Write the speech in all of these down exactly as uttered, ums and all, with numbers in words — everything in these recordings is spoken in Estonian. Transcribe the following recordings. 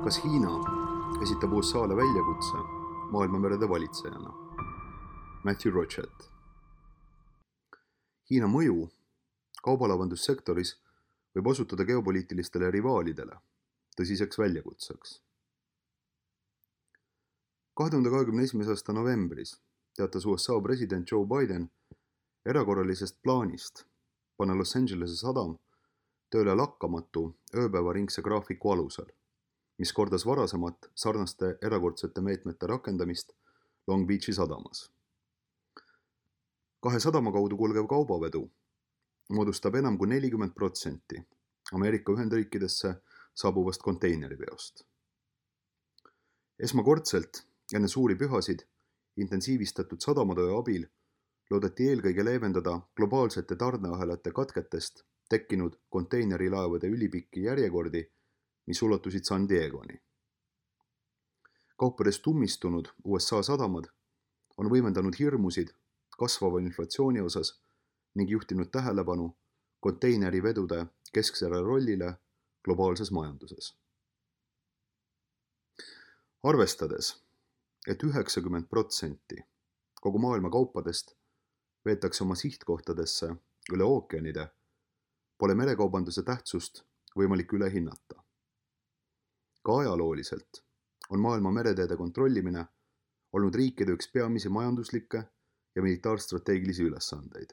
Kas Hiina esitab U S A-le väljakutse maailmamerede valitsejana? Matthew Rochette. Hiina mõju kaubalavandussektoris võib osutuda geopoliitilistele rivaalidele tõsiseks väljakutseks. kahe tuhande kahekümne esimese aasta novembris teatas U S A president Joe Biden erakorralisest plaanist panna Los Angelese sadam tööle lakkamatu ööpäevaringse graafiku alusel, mis kordas varasemat sarnaste erakordsete meetmete rakendamist Long Beachi sadamas. Kahe sadama kaudu kulgev kaubavedu moodustab enam kui nelikümmend protsenti Ameerika Ühendriikidesse saabuvast konteineriveost. Esmakordselt enne suuri pühasid intensiivistatud sadamatöö abil loodeti eelkõige leevendada globaalsete tarneahelate katketest tekkinud konteinerilaevade ülipikki järjekordi, mis ulatusid San Diegoni. Kaupadest ummistunud U S A sadamad on võimendanud hirmusid kasvava inflatsiooni osas ning juhtinud tähelepanu konteinerivedude kesksele rollile globaalses majanduses. Arvestades, et üheksakümmend protsenti kogu maailma kaupadest veetakse oma sihtkohtadesse üle ookeanide, pole merekaubanduse tähtsust võimalik üle hinnata. Ka ajalooliselt on maailma mereteede kontrollimine olnud riikide üks peamisi majanduslikke ja militaarstrateegilisi ülesandeid.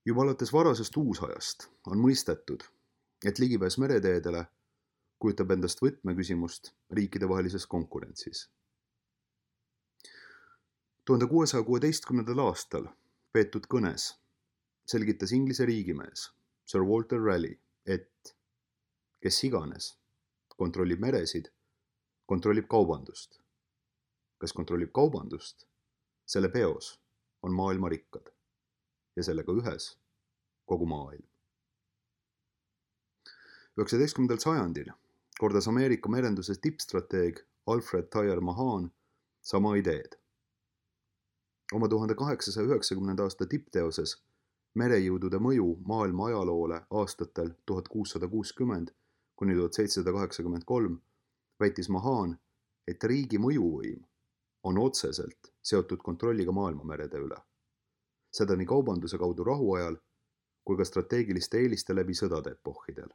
Juba alates varasest uusajast on mõistetud, et ligipääs mereteedele kujutab endast võtmeküsimust riikidevahelises konkurentsis. tuhande kuuesaja kuueteistkümnendal aastal peetud kõnes selgitas Inglise riigimees Sir Walter Raleigh, et kes iganes kontrollib meresid, kontrollib kaubandust. Kes kontrollib kaubandust, selle peos on maailma rikkad ja sellega ühes kogu maailm. üheksateistkümnendal sajandil kordas Ameerika merenduse tippstrateeg Alfred Thayer Mahan sama ideed. Oma tuhande kaheksasaja üheksakümnenda aasta tippteoses merejõudude mõju maailma ajaloole aastatel tuhat kuussada kuuskümmend kuni tuhat seitsesada kaheksakümmend kolm väitis Mahan, et riigi mõjuvõim on otseselt seotud kontrolliga maailmamerede üle. Seda nii kaubanduse kaudu rahuajal kui ka strateegiliste eeliste läbi sõdade epohhidel.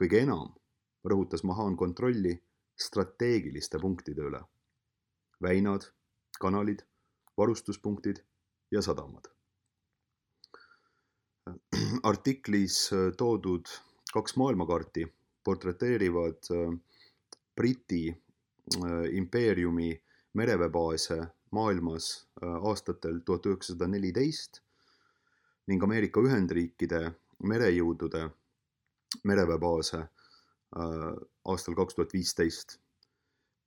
Kõige enam rõhutas Mahan kontrolli strateegiliste punktide üle. Väinad, kanalid, varustuspunktid ja sadamad. Artiklis toodud kaks maailmakaarti portreteerivad Briti impeeriumi mereväebaase maailmas aastatel tuhat üheksasada neliteist ning Ameerika Ühendriikide merejõudude mereväebaase aastal kaks tuhat viisteist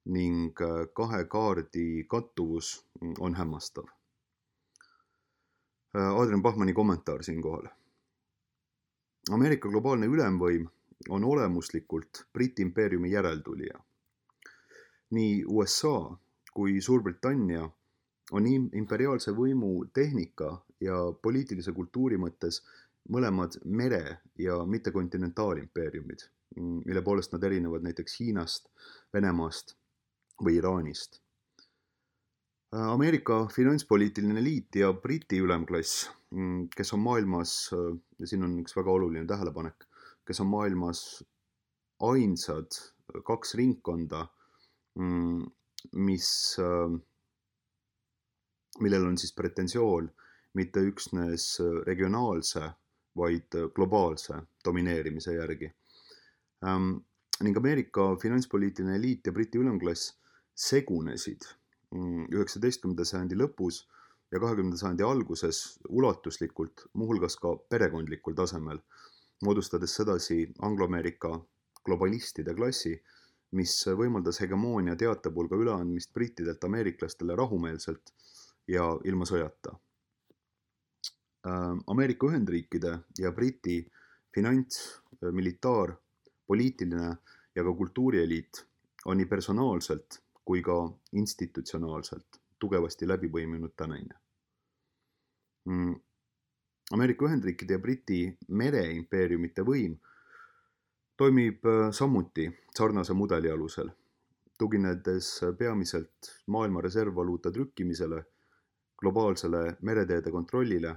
ning kahe kaardi kattuvus on hämmastav. Adrian Bachmanni kommentaar siinkohal. Ameerika globaalne ülemvõim on olemuslikult Briti impeeriumi järeltulija. Nii U S A kui Suurbritannia on imperiaalse võimu tehnika ja poliitilise kultuuri mõttes mõlemad mere- ja mittekontinentaalimpeeriumid, mille poolest nad erinevad näiteks Hiinast, Venemaast või Iraanist. Ameerika finantspoliitiline liit ja Briti ülemklass, kes on maailmas, ja siin on üks väga oluline tähelepanek, kes on maailmas ainsad kaks ringkonda, mis, millel on siis pretensioon mitte üksnes regionaalse, vaid globaalse domineerimise järgi. Ning Ameerika finantspoliitiline liit ja Briti ülemklass segunesid üheksateistkümnenda sajandi lõpus ja kahekümnenda sajandi alguses ulatuslikult, muuhulgas ka perekondlikul tasemel, moodustades sedasi Anglo-Ameerika globalistide klassi, mis võimaldas hegemoonia teatepulga üleandmist brittidelt ameeriklastele rahumeelselt ja ilma sõjata. Ameerika Ühendriikide ja Briti finants, militaar, poliitiline ja ka kultuurieliit on nii personaalselt kui ka institutsionaalselt tugevasti läbi põiminud tänane. Ameerika Ühendriikide ja Briti mereimpeeriumite võim toimib samuti sarnase mudeli alusel, tuginedes peamiselt maailma reservvaluuta trükkimisele, globaalsele mereteede kontrollile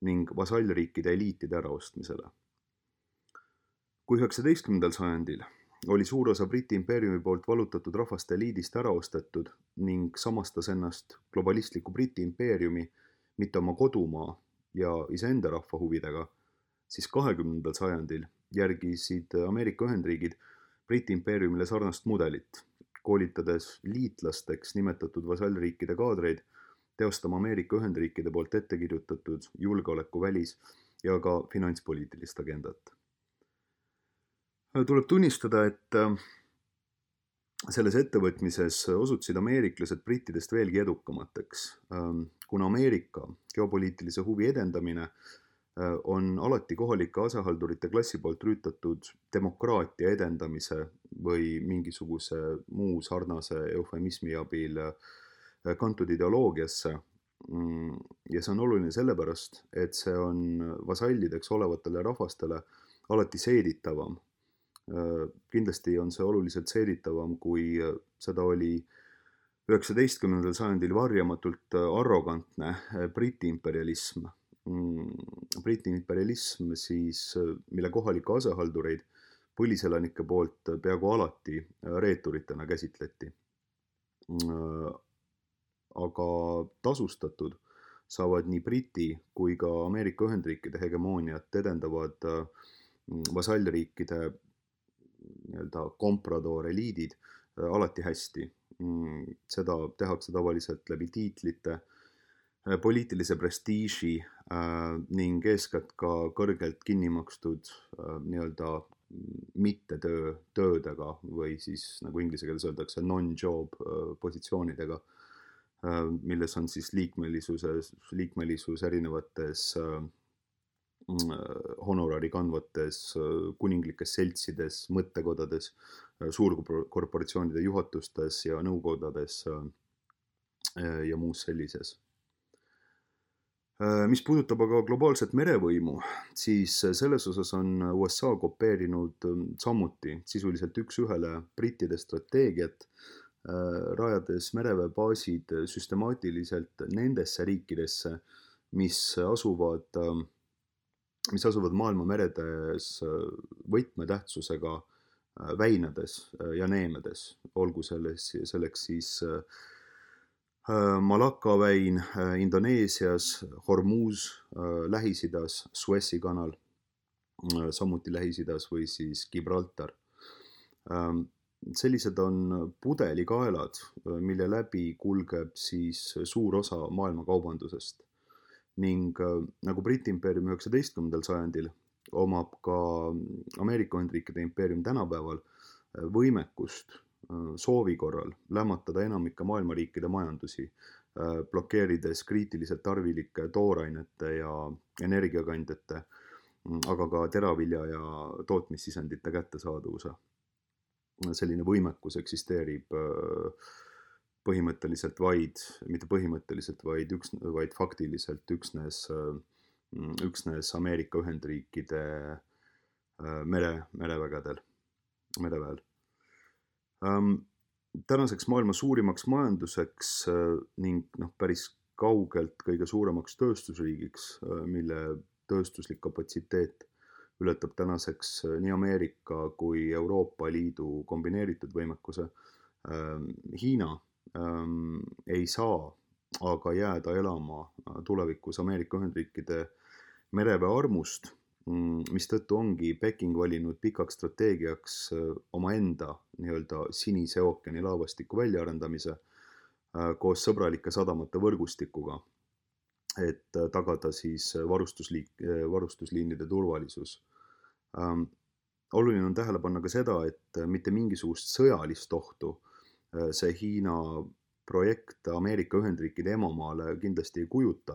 ning vasallriikide eliitide äraostmisele. Kui üheksateistkümnendal sajandil oli suur osa Briti impeeriumi poolt vallutatud rahvaste eliidist ära ostetud ning samastas ennast globalistliku Briti impeeriumi mitte oma kodumaa ja iseenda rahva huvidega, siis kahekümnendal sajandil järgisid Ameerika Ühendriigid Briti impeeriumile sarnast mudelit, koolitades liitlasteks nimetatud vasallriikide kaadreid teostama Ameerika Ühendriikide poolt ette kirjutatud julgeoleku välis- ja ka finantspoliitilist agendat. Tuleb tunnistada, et selles ettevõtmises osutusid ameeriklased brittidest veelgi edukamateks, kuna Ameerika geopoliitilise huvi edendamine on alati kohalike asehaldurite klassi poolt rüütatud demokraatia edendamise või mingisuguse muu sarnase eufemismi abil kantud ideoloogiasse. Ja see on oluline sellepärast, et see on vasallideks olevatele rahvastele alati seeditavam. Kindlasti on see oluliselt seeditavam, kui seda oli üheksateistkümnendal sajandil varjamatult arrogantne Briti imperialism. Briti imperialism, siis, mille kohalikke asehaldureid põliselanike poolt peaaegu alati reeturitena käsitleti. Aga tasustatud saavad nii Briti kui ka Ameerika Ühendriikide hegemooniat edendavad vasallriikide nii-öelda kompradoor eliidid alati hästi. Seda tehakse tavaliselt läbi tiitlite, poliitilise prestiiži ning eeskätt ka kõrgelt kinni makstud nii-öelda mitte töö, töödega või siis nagu inglise keeles öeldakse non-job positsioonidega, milles on siis liikmelisus, liikmelisus erinevates honorari kandvates kuninglikes seltsides, mõttekodades, suurkorporatsioonide juhatustes ja nõukodades ja muus sellises. Mis puudutab aga globaalset merevõimu, siis selles osas on U S A kopeerinud samuti sisuliselt üks ühele brittide strateegiat, rajades mereväebaasid süstemaatiliselt nendesse riikidesse, mis asuvad mis asuvad maailma meredes võtmetähtsusega väinades ja neemedes, olgu selles, selleks siis Malakka väin Indoneesias, Hormuz Lähis-Idas, Suessi kanal, samuti Lähis-Idas või siis Gibraltar. Sellised on pudelikaelad, mille läbi kulgeb siis suur osa maailma kaubandusest. Ning nagu Briti impeerium üheksateistkümnendal sajandil omab ka Ameerika Ühendriikide impeerium tänapäeval võimekust soovi korral lämmatada enamike maailma riikide majandusi, blokeerides kriitiliselt tarvilike toorainete ja energiakandjate, aga ka teravilja ja tootmissisendite kättesaadavuse. Selline võimekus eksisteerib põhimõtteliselt vaid, mitte põhimõtteliselt, vaid, üks, vaid faktiliselt üksnes, üksnes Ameerika Ühendriikide mere, merevägedel, mereväel. Tänaseks maailma suurimaks majanduseks ning noh, päris kaugelt kõige suuremaks tööstusriigiks, mille tööstuslik kapatsiteet ületab tänaseks nii Ameerika kui Euroopa Liidu kombineeritud võimekuse, Hiina ei saa aga jääda elama tulevikus Ameerika Ühendriikide mereväe armust, mistõttu ongi Peking valinud pikaks strateegiaks omaenda nii-öelda Sinise ookeani laevastiku väljaarendamise koos sõbralike sadamate võrgustikuga, et tagada siis varustusliik, varustusliinide turvalisus. Oluline on tähele panna ka seda, et mitte mingisugust sõjalist ohtu see Hiina projekt Ameerika Ühendriikide emamaale kindlasti ei kujuta.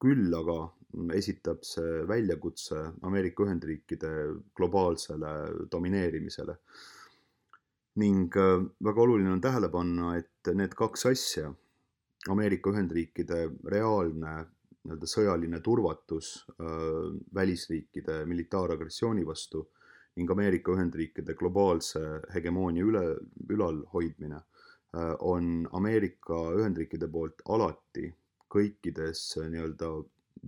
Küll aga esitab see väljakutse Ameerika Ühendriikide globaalsele domineerimisele. Ning väga oluline on tähele panna, et need kaks asja, Ameerika Ühendriikide reaalne sõjaline turvatus välisriikide militaaragressiooni vastu ning Ameerika Ühendriikide globaalse hegemoonia üle, ülalhoidmine on Ameerika Ühendriikide poolt alati kõikides nii-öelda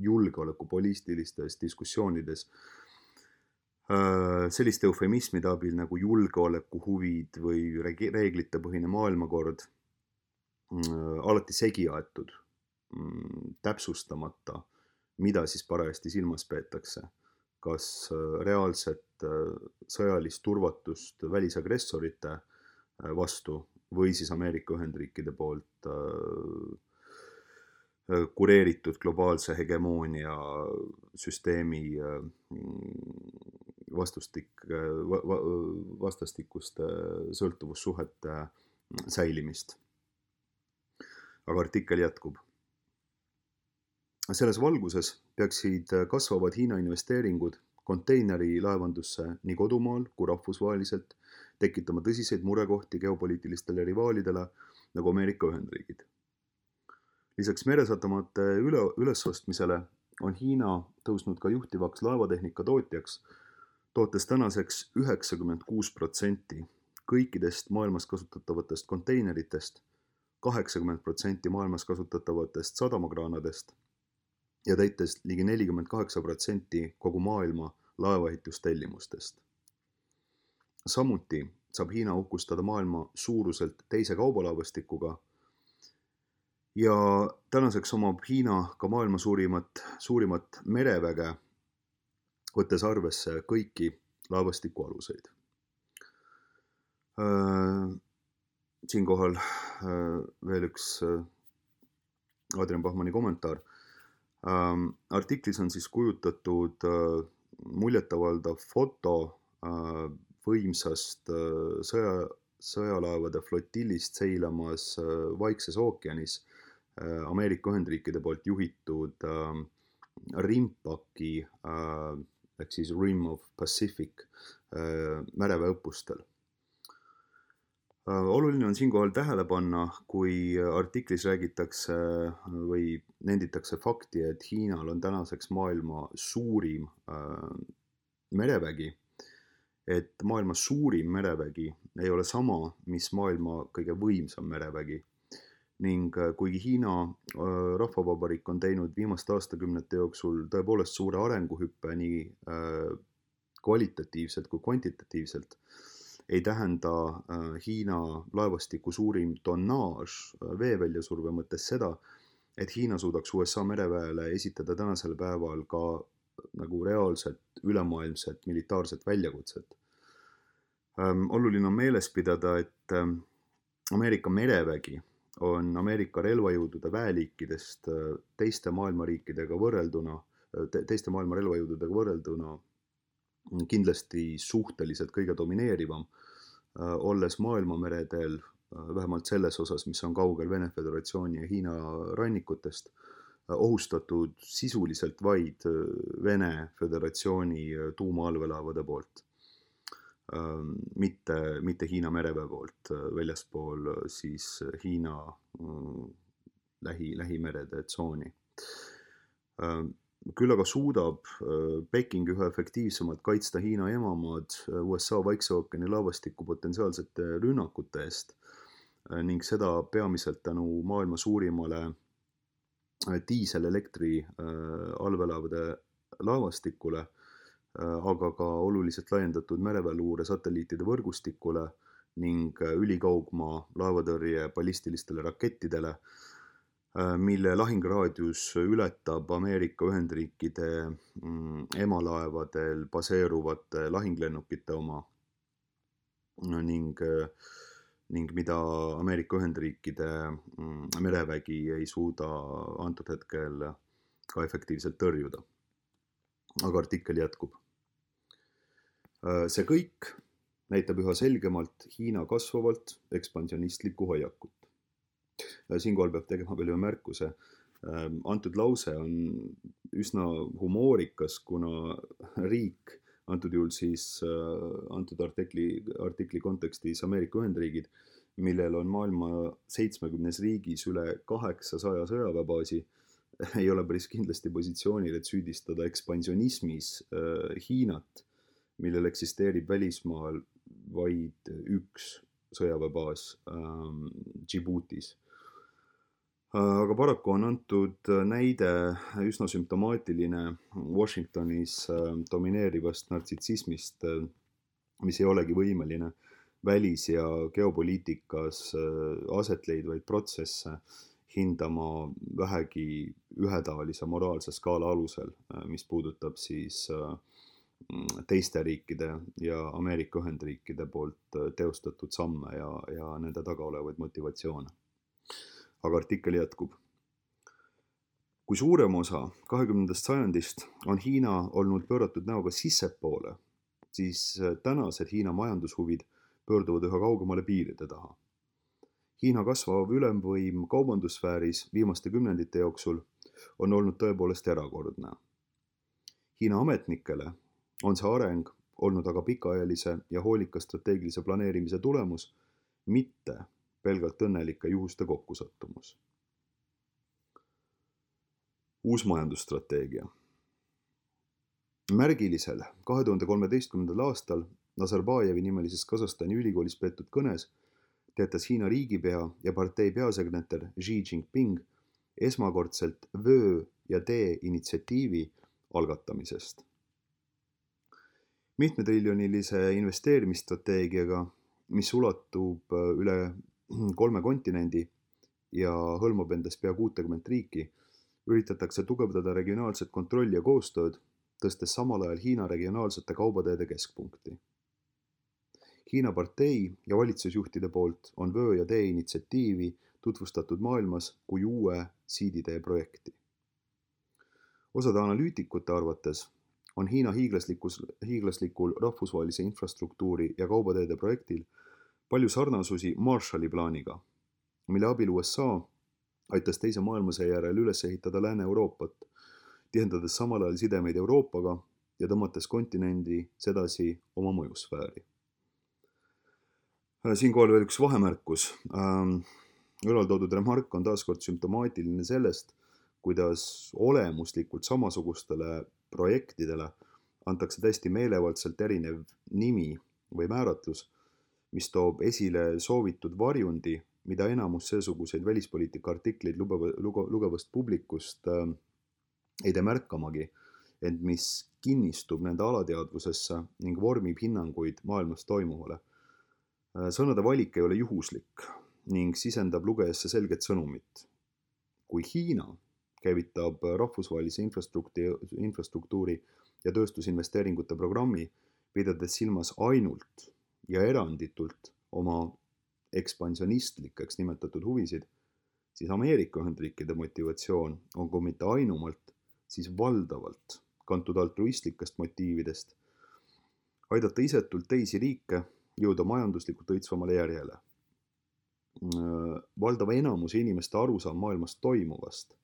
julgeolekupoliitilistes diskussioonides selliste eufemismide abil nagu julgeolekuhuvid või reeglitepõhine maailmakord alati segi aetud, täpsustamata, mida siis parajasti silmas peetakse. Kas reaalset sõjalist turvatust välisagressorite vastu või siis Ameerika Ühendriikide poolt kureeritud globaalse hegemoonia süsteemi vastustik, vastastikuste sõltuvussuhete säilimist. Aga artikkel jätkub. Selles valguses peaksid kasvavad Hiina investeeringud konteineri laevandusse nii kodumaal kui rahvusvaheliselt tekitama tõsiseid murekohti geopoliitilistele rivaalidele nagu Ameerika Ühendriigid. Lisaks meresatamate üle, ülesostmisele on Hiina tõusnud ka juhtivaks laevatehnika tootjaks, tootes tänaseks üheksakümmend kuus protsenti kõikidest maailmas kasutatavatest konteineritest, kaheksakümmend protsenti maailmas kasutatavatest sadamakraanadest ja täites ligi nelikümmend kaheksa protsenti kogu maailma laevaehitustellimustest. Samuti saab Hiina uhkustada maailma suuruselt teise kaubalaevastikuga ja tänaseks omab Hiina ka maailma suurimat, suurimat mereväge, võttes arvesse kõiki laevastiku aluseid. Siinkohal veel üks Adrian Bachmanni kommentaar. Artiklis on siis kujutatud muljetavaldav foto võimsast sõja, sõjalaevade flotillist seilamas Vaikses ookeanis Ameerika Ühendriikide poolt juhitud Rimpaki ehk siis Rim of Pacific mereväeõppustel. Oluline on siinkohal tähele panna, kui artiklis räägitakse või nenditakse fakti, et Hiinal on tänaseks maailma suurim merevägi, et maailma suurim merevägi ei ole sama, mis maailma kõige võimsam merevägi. Ning kuigi Hiina rahvavabariik on teinud viimaste aastakümnete jooksul tõepoolest suure arenguhüppe nii kvalitatiivselt kui kvantitatiivselt, ei tähenda Hiina laevastiku suurim tonnaaž veeväljasurve mõttes seda, et Hiina suudaks U S A mereväele esitada tänasel päeval ka nagu reaalset ülemaailmset militaarset väljakutset. Oluline on meeles pidada, et Ameerika merevägi on Ameerika relvajõudude väeliikidest teiste maailmariikidega võrrelduna, teiste maailma relvajõududega võrrelduna kindlasti suhteliselt kõige domineerivam, olles maailmameredel vähemalt selles osas, mis on kaugel Vene Föderatsiooni ja Hiina rannikutest, ohustatud sisuliselt vaid Vene Föderatsiooni tuumaallveelaevade poolt, mitte, mitte Hiina mereväe poolt väljaspool siis Hiina lähi, lähimerede tsooni. Küll aga suudab Peking üha efektiivsemalt kaitsta Hiina emamaad U S A Vaikse ookeani laevastiku potentsiaalsete rünnakute eest ning seda peamiselt tänu maailma suurimale diiselelektri allveelaevade laevastikule, aga ka oluliselt laiendatud mereväeluure satelliitide võrgustikule ning ülikaugmaa laevatõrje ballistilistele rakettidele, mille lahinguraadius ületab Ameerika Ühendriikide emalaevadel baseeruvate lahinglennukite oma ning, ning mida Ameerika Ühendriikide merevägi ei suuda antud hetkel ka efektiivselt tõrjuda. Aga artikkel jätkub. See kõik näitab üha selgemalt Hiina kasvavalt ekspansionistlikku hoiakut. Siinkohal peab tegema veel ühe märkuse. Antud lause on üsna humoorikas, kuna riik, antud juhul siis antud artikli, artikli kontekstis Ameerika Ühendriigid, millel on maailma seitsmekümnes riigis üle kaheksasaja sõjaväebaasi, ei ole päris kindlasti positsioonil, et süüdistada ekspansionismis Hiinat, millel eksisteerib välismaal vaid üks sõjaväebaas ähm, Djiboutis. Aga paraku on antud näide üsna sümptomaatiline Washingtonis domineerivast nartsissismist, mis ei olegi võimeline välis- ja geopoliitikas aset leidvaid protsesse hindama vähegi ühetaolise moraalse skaala alusel, mis puudutab siis teiste riikide ja Ameerika Ühendriikide poolt teostatud samme ja, ja nende taga olevaid motivatsioone. Aga artikkel jätkub. Kui suurem osa kahekümnendast sajandist on Hiina olnud pööratud näoga sissepoole, siis tänased Hiina majandushuvid pöörduvad üha kaugemale piiride taha. Hiina kasvav ülemvõim kaubandussfääris viimaste kümnendite jooksul on olnud tõepoolest erakordne. Hiina ametnikele on see areng olnud aga pikaajalise ja hoolika strateegilise planeerimise tulemus, mitte pelgalt õnnelike juhuste kokkusattumus. Uus majandusstrateegia. Märgilisel kahe tuhande kolmeteistkümnendal aastal Nazarbajevi nimelises Kasahstani ülikoolis peetud kõnes teatas Hiina riigipea ja partei peasekretär Xi Jinping esmakordselt vöö ja tee initsiatiivi algatamisest. Mitmetriljonilise investeerimisstrateegiaga, mis ulatub üle kolme kontinendi ja hõlmab endas pea kuutekümmet riiki, üritatakse tugevdada regionaalset kontrolli ja koostööd, tõstes samal ajal Hiina regionaalsete kaubateede keskpunkti. Hiina partei ja valitsusjuhtide poolt on vöö ja tee initsiatiivi tutvustatud maailmas kui uue siiditee projekti. Osade analüütikute arvates on Hiina hiiglaslikul rahvusvahelise infrastruktuuri ja kaubateede projektil palju sarnasusi Marshalli plaaniga, mille abil U S A aitas teise maailmasõja järel üles ehitada Lääne-Euroopat, tihendades samal ajal sidemeid Euroopaga ja tõmmates kontinendi sedasi oma mõjusfääri. Siinkohal veel üks vahemärkus. Ülaltoodud remark on taaskord sümptomaatiline sellest, kuidas olemuslikult samasugustele projektidele antakse täiesti meelevaldselt erinev nimi või määratlus, mis toob esile soovitud varjundi, mida enamus seesuguseid välispoliitika artikleid lugevast publikust ei tee märkamagi, ent mis kinnistub nende alateadvusesse ning vormib hinnanguid maailmas toimuvale. Sõnade valik ei ole juhuslik ning sisendab lugejasse selget sõnumit. Kui Hiina käivitab rahvusvahelise infrastruktuuri ja tööstusinvesteeringute programmi, pidades silmas ainult ja eranditult oma ekspansionistlikeks nimetatud huvisid, siis Ameerika Ühendriikide motivatsioon on kui mitte ainumalt, siis valdavalt kantud altruistlikest motiividest aidata isetult teisi riike jõuda majanduslikult õitsvamale järjele. Valdava enamuse inimeste arusaam maailmast toimuvast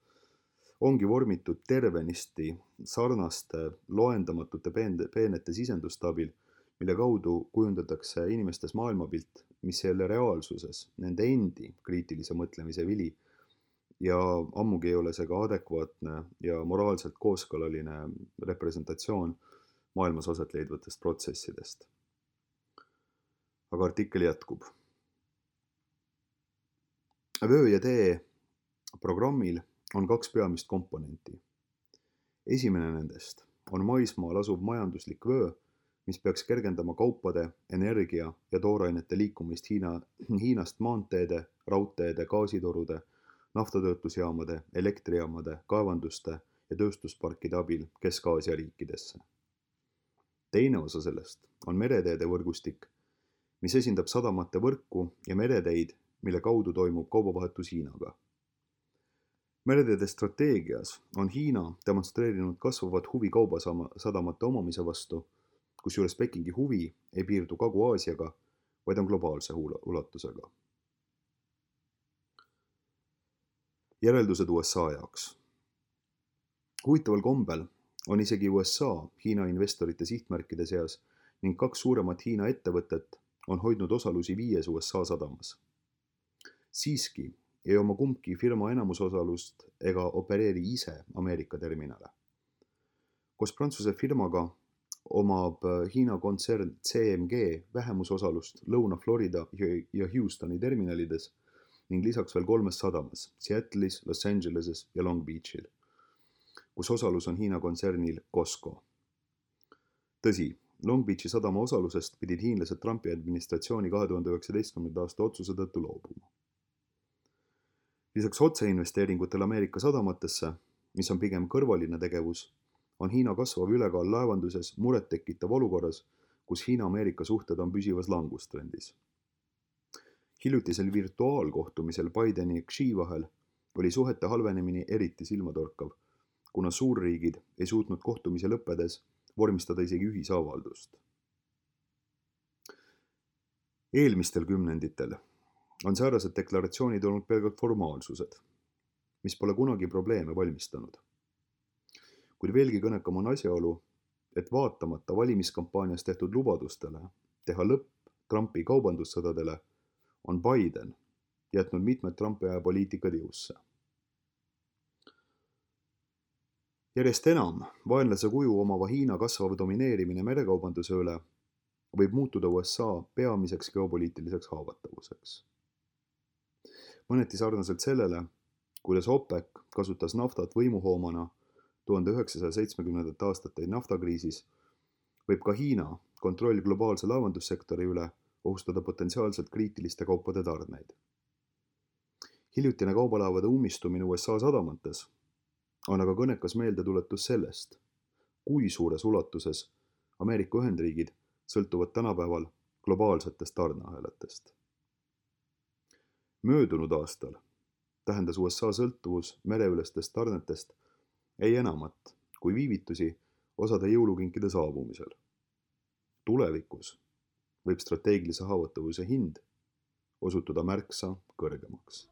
ongi vormitud tervenisti sarnaste loendamatute peenete sisenduste abil, mille kaudu kujundatakse inimestes maailmapilt, mis ei ole reaalsuses nende endi kriitilise mõtlemise vili ja ammugi ei ole see ka adekvaatne ja moraalselt kooskõlaline representatsioon maailmas aset leidvatest protsessidest. Aga artikkel jätkub. Vöö ja tee programmil on kaks peamist komponenti. Esimene nendest on maismaal asuv majanduslik vöö, mis peaks kergendama kaupade, energia ja toorainete liikumist Hiina, Hiinast maanteede, raudteede, gaasitorude, naftatöötlusjaamade, elektrijaamade, kaevanduste ja tööstusparkide abil Kesk-Aasia riikidesse. Teine osa sellest on mereteede võrgustik, mis esindab sadamate võrku ja mereteid, mille kaudu toimub kaubavahetus Hiinaga. Mereteede strateegias on Hiina demonstreerinud kasvavat huvi kaubasadamate omamise vastu, kusjuures Pekingi huvi ei piirdu Kagu-Aasiaga, vaid on globaalse ulatusega. Järeldused U S A jaoks. Huvitaval kombel on isegi U S A Hiina investorite sihtmärkide seas ning kaks suuremat Hiina ettevõtet on hoidnud osalusi viies U S A sadamas. Siiski ei oma kumbki firma enamusosalust ega opereeri ise Ameerika terminale. Koos Prantsuse firmaga omab Hiina kontsern C M G vähemusosalust Lõuna-Florida ja Houstoni terminalides ning lisaks veel kolmes sadamas Seattle'is, Los Angeleses ja Long Beachil, kus osalus on Hiina kontsernil Costco. Tõsi, Long Beachi sadama osalusest pidid hiinlased Trumpi administratsiooni kahe tuhande üheksateistkümnenda aasta otsuse tõttu loobuma. Lisaks otseinvesteeringutel Ameerika sadamatesse, mis on pigem kõrvaline tegevus, on Hiina kasvav ülekaal laevanduses muret tekitav olukorras, kus Hiina-Ameerika suhted on püsivas langustrendis. Hiljutisel virtuaalkohtumisel Bideni ja Xi vahel oli suhete halvenemine eriti silmatorkav, kuna suurriigid ei suutnud kohtumise lõppedes vormistada isegi ühisavaldust. Eelmistel kümnenditel on säärased deklaratsioonid olnud pelgalt formaalsused, mis pole kunagi probleeme valmistanud. Kuid veelgi kõnekam on asjaolu, et vaatamata valimiskampaanias tehtud lubadustele teha lõpp Trumpi kaubandussõdadele, on Biden jätnud mitmed Trumpi aja poliitikad jõusse. Järjest enam vaenlase kuju omava Hiina kasvav domineerimine merekaubanduse üle võib muutuda U S A peamiseks geopoliitiliseks haavatavuseks. Mõneti sarnaselt sellele, kuidas OPEC kasutas naftat võimuhoomana tuhande üheksasaja seitsmekümnendate aastate naftakriisis, võib ka Hiina kontroll globaalse laevandussektori üle ohustada potentsiaalselt kriitiliste kaupade tarneid. Hiljutine kaubalaevade ummistumine U S A sadamates on aga kõnekas meeldetuletus sellest, kui suures ulatuses Ameerika Ühendriigid sõltuvad tänapäeval globaalsetest tarneahelatest. Möödunud aastal tähendas U S A sõltuvus mereülestest tarnetest ei enamat kui viivitusi osade jõulukinkide saabumisel. Tulevikus võib strateegilise haavatavuse hind osutuda märksa kõrgemaks.